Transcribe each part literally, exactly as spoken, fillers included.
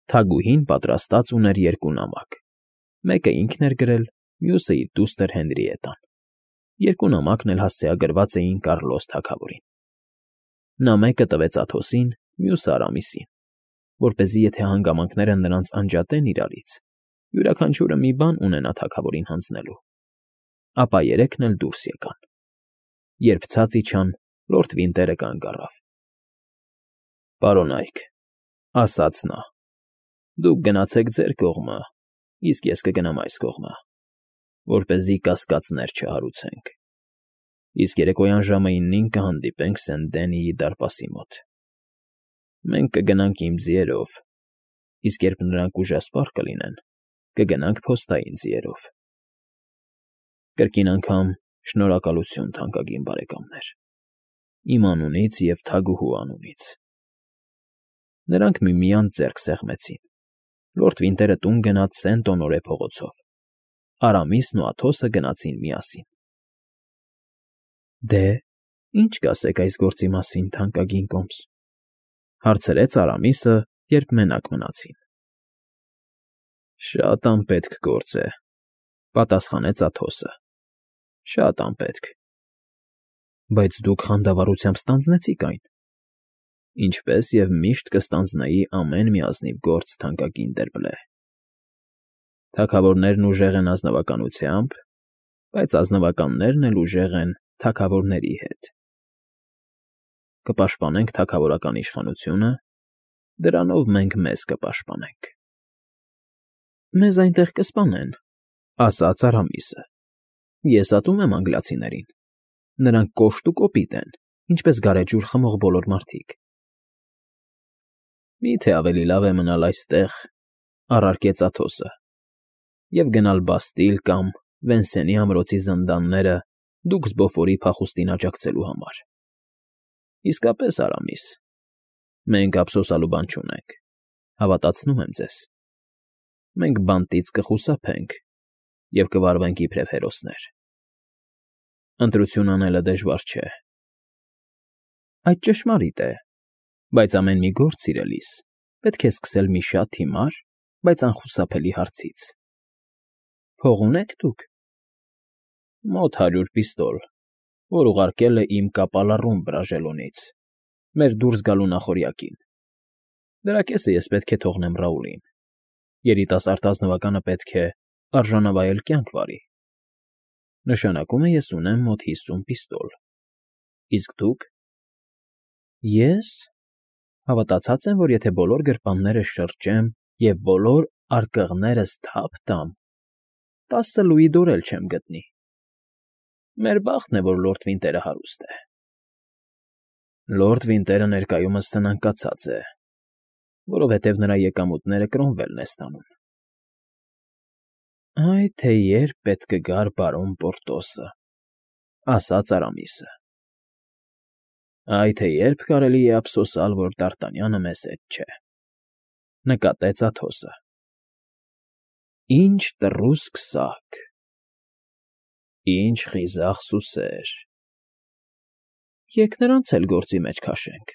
Թագուհին պատրաստած ուներ երկու նամակ. մեկը ինքն էր գրել, մյուսը իր դուստր Հենրիետտան. երկու նամակն էլ հասցեագրված էին Կառլոս թագավորին. նա մեկը տվեց Աթոսին, մյուսը Արամիսին, որպեսզի եթե հանգամանքները նրանց անջատեն իրարից, յուրաքանչյուրը մի բան ունենա թագավորին հանձնելու, ապա երեքն էլ դուրս եկան։ Երբ ցած իջան, լորդ Վինտերը կանգ առավ։ «Պարոնայք,֊ ասաց նա,֊ դուք գնացեք ձեր կողմը, իսկ ես կգնամ այս կողմը, որպեսզի կասկածներ չհարուցենք, իսկ երեկոյան ժամը իննին կհանդիպենք Սենտ Դենիի դարպասի մոտ։ Մենք կգնանք իմ ձիերով, իսկ երբ նրանք ուժասպառ կլինեն, կգնանք փոստային ձիերով։ Կրկին անգամ շնորհակալություն, թանկագին բարեկամներ, իմ անունից և թագուհու անունից»։ Նրանք միմյանց ձեռք սեղմեցին։ Լորդ Վինտերը տուն գնաց Սենտ Օնորե փողոցով, Արամիսն ու Աթոսը գնացին միասին։ «Դե, ի՞նչ կասեք այս գործի մասին, թանկագին կոմս,֊ հարցրեց Արամիսը, երբ մենակ մնացին։ «Շատ անպետք գործ է,֊ պատասխանեց Աթոսը,֊ շատ անպետք»։ «Բայց դուք խանդավառությամբ ստանձնեցիք այն, ինչպես և միշտ կստանձնեի ամեն մի ազնիվ գործ, թանկագին Դերբլե։ Թագավորներն ուժեղ են ազնվականությամբ, բայց ազնվականներն էլ ուժեղ են թագավորների հետ։ Կպաշտպանենք թագավորական իշխանությունը, դրանով մենք մեզ կպաշտպանենք»։ «Մեզ այնտեղ կսպանեն,֊ ասաց Արամիսը,֊ ես ատում եմ անգլիացիներին, նրանք կոշտ ու կոպիտ են, ինչպես գարեջուր խմող բոլոր մարդիկ»։ «Մի՞թե ավելի լավ է մնալ այստեղ,֊ առարկեց Աթոսը,֊ և գնալ Բաստիլ կամ Վենսենի ամրոցի զնդանները դուք զբոֆորի փախուստին աջակցելու համար։ Իսկապես, Արամիս, մենք ափսոսանալու բան չունենք, հավատացնում եմ ձեզ։ Մենք բանտից կխուսափենք և կվարվենք իբրև հերոսներ։ Ընտրություն անելը դժվար չէ»։ «Այդ ճշմարիտ է, բայց ամեն մի գործ, սիրելիս, պետք է սկսել մի շատ հիմար, բայց անխուսափելի հարցից։ Փող ունե՞ք դուք»։ «Մոտ հարյուր պիստոլ, որ ուղարկել է իմ կապալառուն Բրաժելոնից, մեր դուրս գալու նախօրյակին։ Դրա կեսը ես պետք է թողնեմ Ռաուլին. երիտասարդ ազնվականը պետք է արժանավայել կյանք վարի։ Նշանակում է, ես ունեմ մոտ հիսուն պիստոլ։ Իսկ դուք»։ «Ես հավատացած եմ, որ եթե բոլոր գրպաններս շրջեմ և բոլոր արկղներս թափ տամ, տասը լուի դոր էլ չեմ գտնի։ Մեր բախտն է, որ լորդ Վինտերը հարուստ է»։ «Լորդ Վինտերը ներկայումս սնանկացած է, որովհետև նրա եկամուտները Կրոմվելն է ստանում»։ «Այ թե երբ պետք կգար բարոն Պորտոսը,֊ ասաց Արամիսը։ «Այ թե երբ կարելի է ափսոսալ, որ Դ'Արտանյանը մեզ հետ չէ,֊ նկատեց Աթոսը։ Ինչ տռուսկ սարք, ինչ խիզախ սուսեր։ Եկ նրանց էլ գործի մեջ քաշենք»։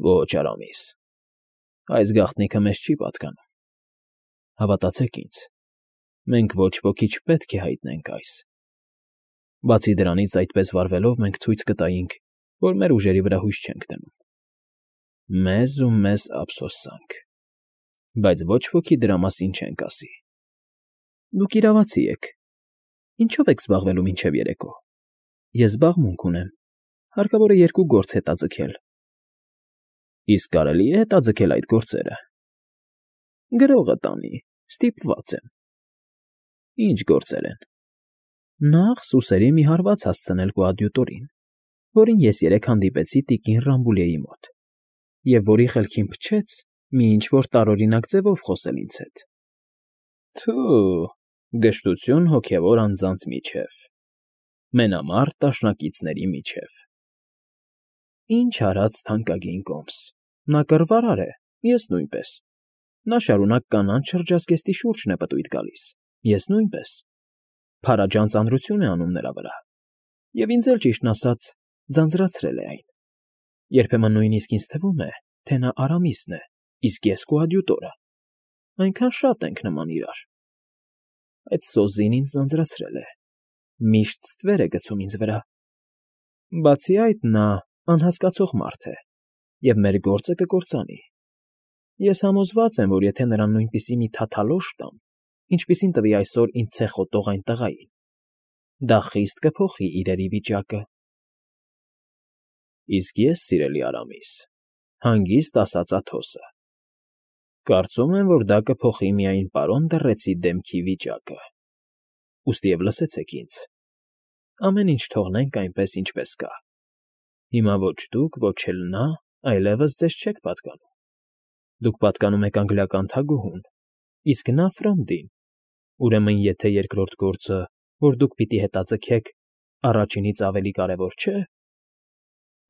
«Ո՛չ, Արամիս, այս գաղտնիքը մեզ չի պատկանում։ Հավատացեք ինձ, մենք ոչ ոքի չպետք է հայտնենք այս։ Բացի դրանից, այդպես վարվելով մենք ցույց կտայինք, որ մեր ուժերի վրա հույս չենք դնում։ Մեզ ու մեզ ափսոսանք, բայց ոչ ոքի դրա մասին չենք ասի։ Դուք իրավացի եք։ Ինչո՞վ եք զբաղվելու մինչև երեկո։ Ես զբաղմունք ունեմ, հարկավոր է երկու գործ հետաձգել»։ «Իսկ կարելի է հետաձգել այդ գործերը»։ «Գրողը տանի, ստիպված եմ»։ «Ինչ գործեր են»։ «Նախ սուսերի մի հարված հասցնել կոադյուտորին, որին ես երեկ հանդիպեցի տիկին Ռամբուլիեի մոտ, և որի խելքին փչեց մի ինչ֊որ տարօրինակ ձևով խոսել ինձ հետ։ Թո՛ւ, գժտություն հոգևոր անձանց միջև, մենամարտ դաշնակիցների միջև»։ «Ինչ արած, թանկագին կոմս, նա կռվարար է, ես նույնպես։ Նա շարունակ կանանց շրջազգեստի շուրջն է պտույտ գալիս, ես նույնպես։ Փարաջան ծանրություն է անում նրա վրա, և ինձ էլ, ճիշտն ասած, ձանձրացրել է այն։ Երբեմն նույնիսկ ինձ թվում է, թե նա Արամիսն է, իսկ ես քո հադյուտորը։ Այնքան շատ ենք նման իրար։ Այդ սոզին ինձ ձանձրացրել է, միշտ ստվեր է գցում ինձ վրա։ Բացի այդ, նա անհասկացող մարդ է և մեր գործը կկործանի։ Ես համոզված եմ, որ եթե նրան նույնպիսի մի թաթալոշ տամ, ինչպիսին տվի այսօր ինձ ցեխոտող այն տղային, դա խիստ կփոխի իրերի վիճակը։ Իսկ ես, սիրելի Արամիս, հանգիստ ասաց Աթոսը, կարծում եմ, որ դա կփոխի միայն պարոն Դռեցի դեմքի վիճակը։ Ուստիև լսեցեք ինձ. ամեն ինչ թողնենք այնպես, ինչպես կա։ Հիմա ոչ դուք, ոչ էլ նա այլևս ձեզ չեք պատկանում։ Դուք պատկանում եք անգլիական թագուհուն, իսկ նա Ֆրոնդին։ Ուրեմն եթե երկրորդ գործը, որ դուք պիտի հետաձգեք, առաջինից ավելի կարևոր չէ։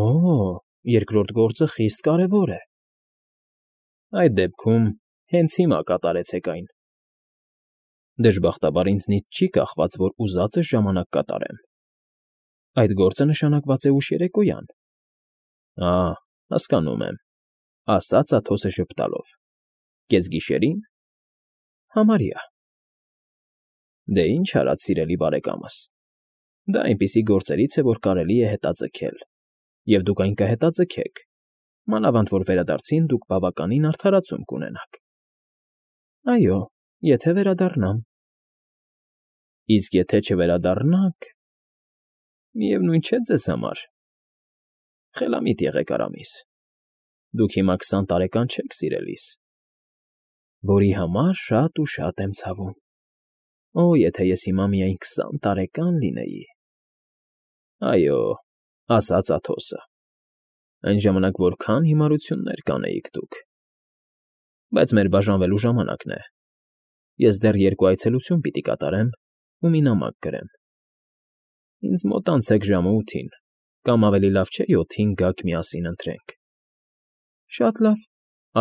Օ՜, երկրորդ գործը խիստ կարևոր է։ Այդ դեպքում հենց հիմա կատարեցեք այն։ Դժբախտաբար ինձնից չի կախված, որ ուզածս ժամանակ կատարեմ։ Այդ գործը նշանակված է ուշ երեկոյան։ Ա, հասկանում եմ, ասաց Աթոսը ժպտալով։ Կեսգիշերին։ Համարյա։ Դե ինչ արած, սիրելի բարեկամս։ Դա այնպիսի գործերից է, որ կարելի է հետաձգել, և դուք այն կհետաձգեք, մանավանդ որ վերադարձին դուք բավականին արդարացում կունենաք։ Այո, եթե վերադառնամ։ Իսկ եթե չվերադառնաք, միևնույն չէ ձեզ համար։ Խելամիտ եղեք, Արամիս, դուք հիմա քսան տարեկան չեք, սիրելիս, որի համար շատ ու շատ եմ ցավում։ Օ, եթե ես հիմա միայն քսան տարեկան լինեի։ Այո, ասաց Աթոսը, այն ժամանակ որքան հիմարություններ կանեիք դուք։ Բայց մեր բաժանվելու ժամանակն է։ Ես դեռ երկու այցելություն պիտի կատարեմ ու մի նամակ գրեմ։ Ինձ մոտ անցեք ժամը ութին, կամ ավելի լավ չէ յոթին գաք միասին ընթրենք։ Շատ լավ,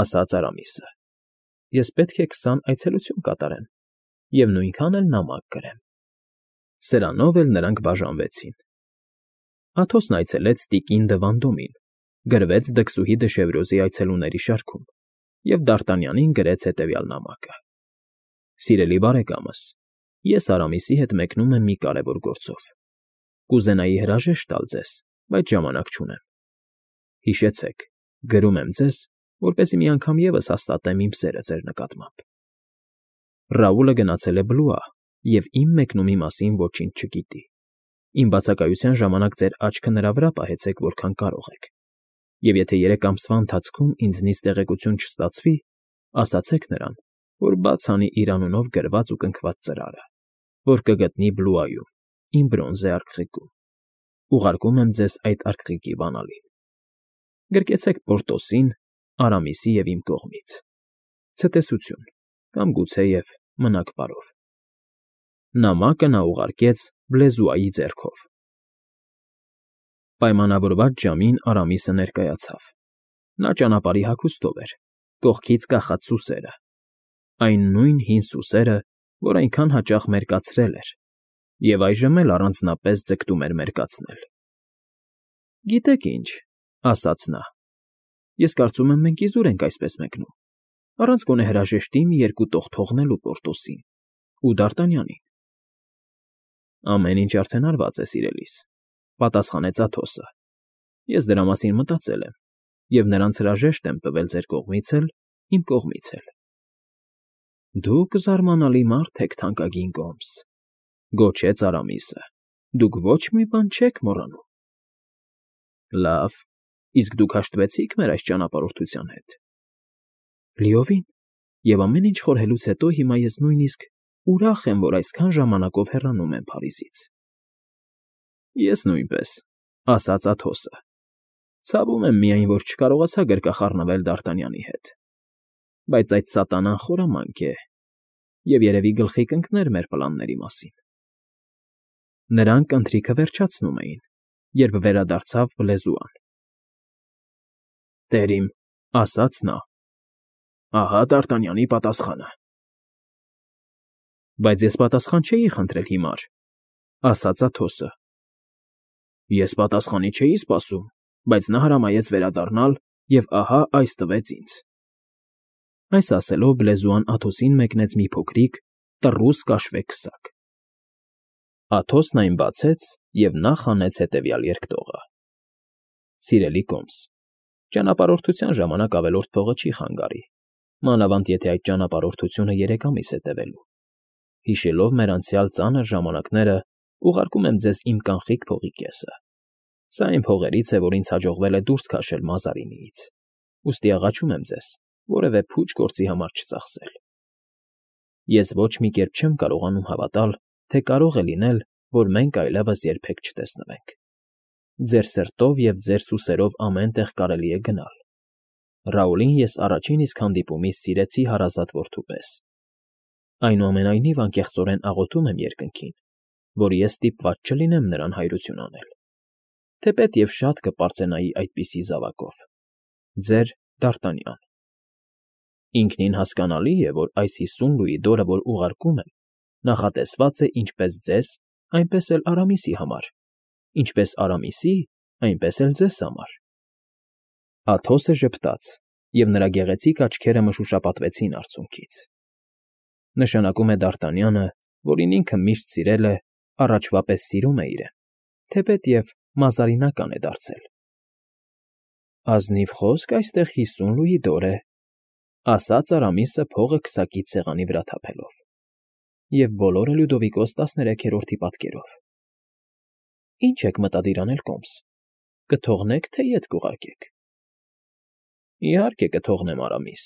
ասաց Արամիսը։ Ես պետք է քսան այցելություն կատարեմ և նույնքան էլ նամակ գրեմ։ Սրանով էլ նրանք բաժանվեցին։ Աթոսն այցելեց տիկին Դվանդոմին, գրվեց դքսուհի Դշևրոզի այցելուների շարքում և Դարտանյանին գրեց հետևյալ նամակը. Սիրելի բարեկամս, ես Արամիսի հետ մեկնում եմ մի կարևոր գործով։ Կուզենայի հրաժեշտ տալ ձեզ, բայց ժամանակ չունեմ։ Հիշեցեք, գրում եմ ձեզ, որպեսզի մի անգամ ևս հաստատեմ իմ սերը ձեր նկատմամբ։ Ռաուլը գնացել է Բլուա և իմ մեկնումի մասին ոչինչ չգիտի։ Իմ բացակայության ժամանակ ձեր աչքը նրա վրա պահեցեք, որքան կարող եք։ Եվ եթե երեք ամսվա ընթացքում ինձնից տեղեկություն չստացվի, ասացեք նրան, որ բաց անի իր անունով գրված ու կնքված ծրարը, որ կգտնի Բլուայում, իմ բրոնզե արքղիկում։ Ուղարկում եմ ձեզ այդ արքղիկի բանալին։ Գրկեցեք Պորտոսին, Արամիսի և իմ կողմից։ Ցտեսություն, կամ գուցեև մնաք բարով։ Նամակը նա ուղարկեց Բլեզուայի ձեռքով։ Պայմանավորված ժամին Արամիսը ներկայացավ։ Նա ճանապարհի հագուստով էր, կողքից կախած սուսերը, այն նույն հին սուսերը, որ այնքան հաճախ մերկացրել էր և այժմ էլ առանձնապես ձգտում էր մերկացնել։ Գիտեք ինչ, ասաց նա, ես կարծում եմ մենք իզուր ենք այսպես մեկնում, առանց գոնե հրաժեշտի մի երկու տող թողնելու Պորտոսին ու Դարտանյանին։ Ամեն ինչ արդեն արված է, սիրելիս, պատասխանեց Աթոսը։ Ես դրա մասին մտածել եմ և նրանց հրաժեշտ եմ տվել ձեր կողմից էլ, իմ կողմից էլ։ Դուք զարմանալի մարդ եք, թանկագին Գոմս, գոչեց Արամիսը, դուք ոչ մի բան չեք մոռանում։ Լավ, իսկ դուք հաշտվեցի՞ք մեր այս ճանապարհորդության հետ։ Լիովին, և ամեն ինչ խորհելուց հետո հիմա ես նույնիսկ ուրախ եմ, որ այսքան ժամանակով հեռանում եմ Փարիզից։ Ես նույնպես, ասաց Աթոսը։ Ցավում եմ միայն, որ չկարողացա գրկախառնվել Դարտանյանի հետ։ Բայց այդ սատանան խորամանկ է և երևի գլխի կընկներ մեր պլանների մասին։ Նրանք ընթրիքը վերջացնում էին, երբ վերադարձավ Բլեզուան։ Տեր իմ, ասաց նա, ահա Դարտանյանի պատասխանը։ Բայց ես պատասխան չէի խնդրել հիմար, ասաց Աթոսը։ Ես պատասխանի չէի սպասում, բայց նա հրամայեց վերադառնալ և ահա այս տվեց ինձ։ Այս ասելով բլեզուան Աթոսին մեկնեց մի փոքրիկ, տռուս կաշվե քսակ։ Աթոսն այն բացեց և նախ հանեց հետևյալ երկտողը. «Սիրելի կոմս, ճանապարհորդության ժամանակ ավելորդ փողը չի խանգարի, մանավանդ եթե այդ ճանապարհորդությունը երեք ամիս է տևելու։ Հիշելով մեր անցյալ ծանր ժամանակները, ուղարկում եմ ձեզ իմ կանխիկ փողի կեսը։ Սա այն փողերից է, որ ինձ հաջողվել է դուրս քաշել Մազարինիից, ուստի աղաչում եմ ձեզ որևէ փուչ գործի համար չծախսել։ Ես ոչ մի կերպ չեմ կարողանում հավատալ, թե կարող է լինել, որ մենք այլևս երբեք չտեսնվենք։ Ձեր սրտով և ձեր սուսերով ամեն տեղ կարելի է գնալ։ Ռաուլին ես առաջին իսկ հանդիպումից սիրեցի հարազատ որդու պես։ Այնուամենայնիվ անկեղծորեն աղոթում եմ երկնքին, որ ես ստիպված չլինեմ նրան հայրություն անել, թեպետ և շատ կպարծենայի այդպիսի զավակով։ Ձեր Դ'Արտանյան։ Ինքնին հասկանալի է, որ այս հիսուն լուիդորը, որ ուղարկում եմ, նախատեսված է ինչպես ձեզ, այնպես էլ Արամիսի համար, ինչպես Արամիսի, այնպես էլ ձեզ համար։ Աթոսը ժպտաց, և նրա գեղեցիկ աչքերը մշուշապատվեցին արցունքից։ Նշանակում է Դ'Արտանյանը, որին ինքը միշտ սիրել է, առաջվա պես սիրում է իրեն, թեպետև մազարինական է դարձել։ Ազնիվ խոսք այստեղ հիսուն լուիդոր է, ասաց Արամիսը փողը քսակից սեղանի վրա թափելով, և բոլորը Լյուդովիկոս տասներեքերորդի պատկերով։ Ինչ եք մտադիր անել, կոմս, կթողնե՞ք, թե ետ կուղարկեք։ Իհարկե կթողնեմ, Արամիս,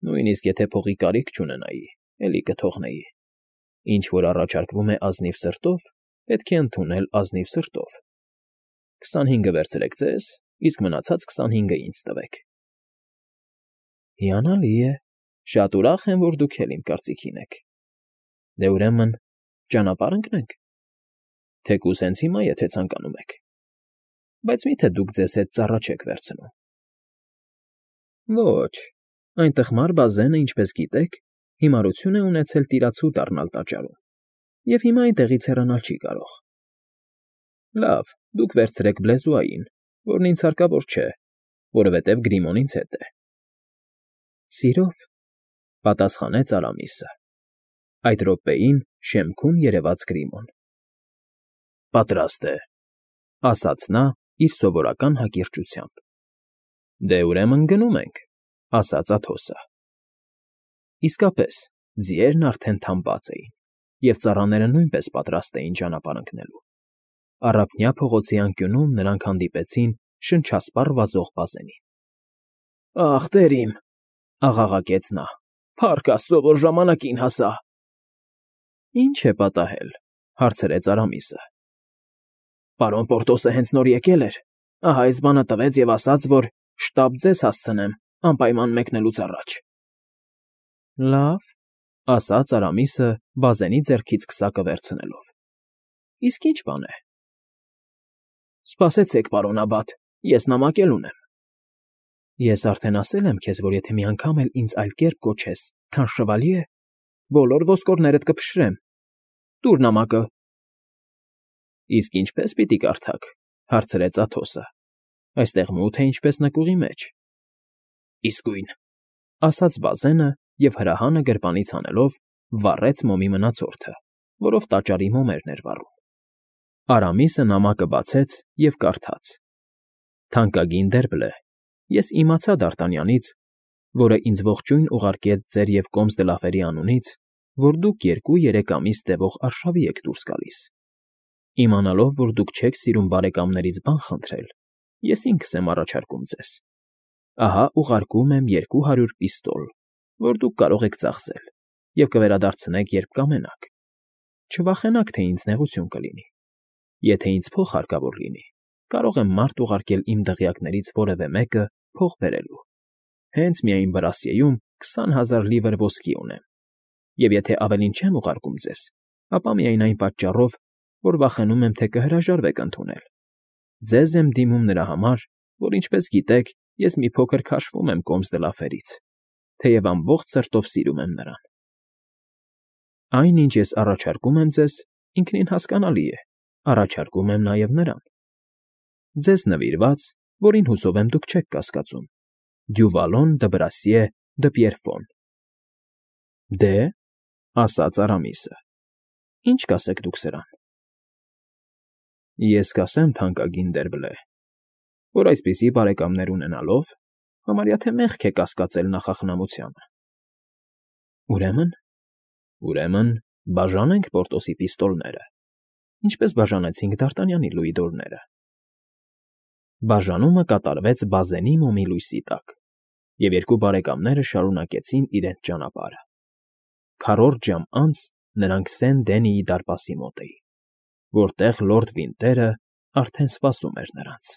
նույնիսկ եթե փողի կարիք չունենայի, էլի կթողնեի։ Ինչ որ առաջարկվում է ազնիվ սրտով, պետք է ընդունել ազնիվ սրտով։ Քսանհինգը վերցրեք ձեզ, իսկ մնացած քսանհինգը ինձ տվեք։ Հիանալի է, շատ ուրախ եմ, որ դուք էլ իմ կարծիքին եք։ Դե ուրեմն ճանապարհ ընկնենք։ Թեկուզ հենց հիմա, եթե ցանկանում եք։ Բայց մի՞թե դուք ձեզ հետ ծառա չեք վերցնում։ Ոչ, այն տխմար բազենը, ինչպես գիտեք, հիմարություն է ունեցել տիրացու դառնալ տաճարում, և հիմա այնտեղից հեռանալ չի կարող։ Լավ, դուք վերցրեք բլեզուային, որն ինձ հարկավոր չէ, որովհետև Գրիմոն ինձ հետ է։ Սիրով, պատասխանեց Արամիսը։ Այդ րոպեին շեմքում երևաց Գրիմոն։ Պատրաստ է, ասաց նա իր սովորական հակիրճությամբ։ Դե ուրեմն գնում ենք, ասաց Աթոսը։ Իսկապես, ձիերն արդեն թամբած էին, և ծառաները նույնպես պատրաստ էին ճանապարհ ընկնելու։ Առափնյա փողոցի անկյունում նրանք հանդիպեցին շնչասպառ վազող բազենին։ Ախ, տեր իմ, աղաղակեց նա, փառք Աստծո, որ ժամանակին հասա։ Ինչ է պատահել, հարցրեց Արամիսը։ Պարոն Պորտոսը հենց նոր եկել էր, ահա այս բանը տվեց և ասաց, որ շտապ ձեզ հասցնեմ անպայման մեկնելուց առաջ։ Լավ, ասաց Արամիսը բազենի ձեռքից քսակը վերցնելով։ Իսկ ի՞նչ բան է։ Սպասեցեք, պարոն աբբատ, ես նամակ էլ ունեմ։ Ես արդեն ասել եմ քեզ, որ եթե մի անգամ էլ ինձ այլ կերպ կոչես, քան շվալյե, բոլոր ոսկորներդ կփշրեմ։ Տուր նամակը։ Իսկ ինչպես պիտի կարդաք, հարցրեց Աթոսը։ Այստեղ մութ է ինչպես նկուղի մեջ։ Իսկույն, ասաց բազենը և հրահանը գրպանից հանելով վառեց մոմի մնացորդը, որով տաճարի մոմերն էր վառում։ Արամիսը նամակը բացեց և կարդաց. Թանկագին Դերբլե, ես իմացա Դ'Արտանյանից, որը ինձ ողջույն ուղարկեց ձեր և կոմս Դլաֆերի անունից, որ դուք երկու֊երեք ամիս տևող արշավի եք դուրս գալիս։ Իմանալով, որ դուք չեք սիրում բարեկամներից բան խնդրել, ես ինքս եմ առաջարկում ձեզ։ Ահա ուղարկում եմ երկու հարյուր պիստոլ, որ դուք կարող եք ծախսել, և կվերադարձնեք, երբ կամենաք։ Չվախենաք, թե ինձ նեղություն կլինի։ Եթե ինձ փող հարկավոր լինի, կարող եմ մարդ ուղարկել իմ դղյակներից որևէ մեկը փող բերելու։ Հենց միայն Բրասիեում քսան հազար լիվր ոսկի ունեմ, և եթե ավելին չեմ ուղարկում ձեզ, ապա միայն այն պատճառով, որ վախենում եմ, թե կհրաժարվեք ընդունել։ Ձեզ եմ դիմում նրա համար, որ, ինչպես գիտեք, ես մի փոքր քաշվում եմ կոմս Դլաֆերից, թեև ամբողջ սրտով սիրում եմ նրան։ Այն, ինչ ես առաջարկում եմ ձեզ, ինքնին հասկանալի է, առաջարկում եմ նաև նրան։ Ձեզ նվիրված, որին հուսով եմ դուք չեք կասկածում, Դյուվալոն դը Բրասիե Դպրեֆոն։ ֊ Դե,֊ ասաց Արամիսը,֊ ի՞նչ կասեք դուք սրան։ ֊ Ես կասեմ, թանկագին Դերբլե, որ այսպիսի բարեկամներ ունենալով համարյա թե մեղք է կասկածել նախախնամությանը։ ֊ Ուրեմն… ուրեմն բաժանենք Պորտոսի պիստոլները, ինչպես բաժանեցինք Դ'Արտանյանի լուիդորները։ Բաժանումը կատարվեց բազենի մոմի լույսի տակ, և երկու բարեկամները շարունակեցին իրենց ճանապարհը. քառորդ ժամ անց նրանք Սեն֊Դենիի դարպասի մոտ էին, որտեղ լորդ Վինտերը արդեն սպասում էր նրանց։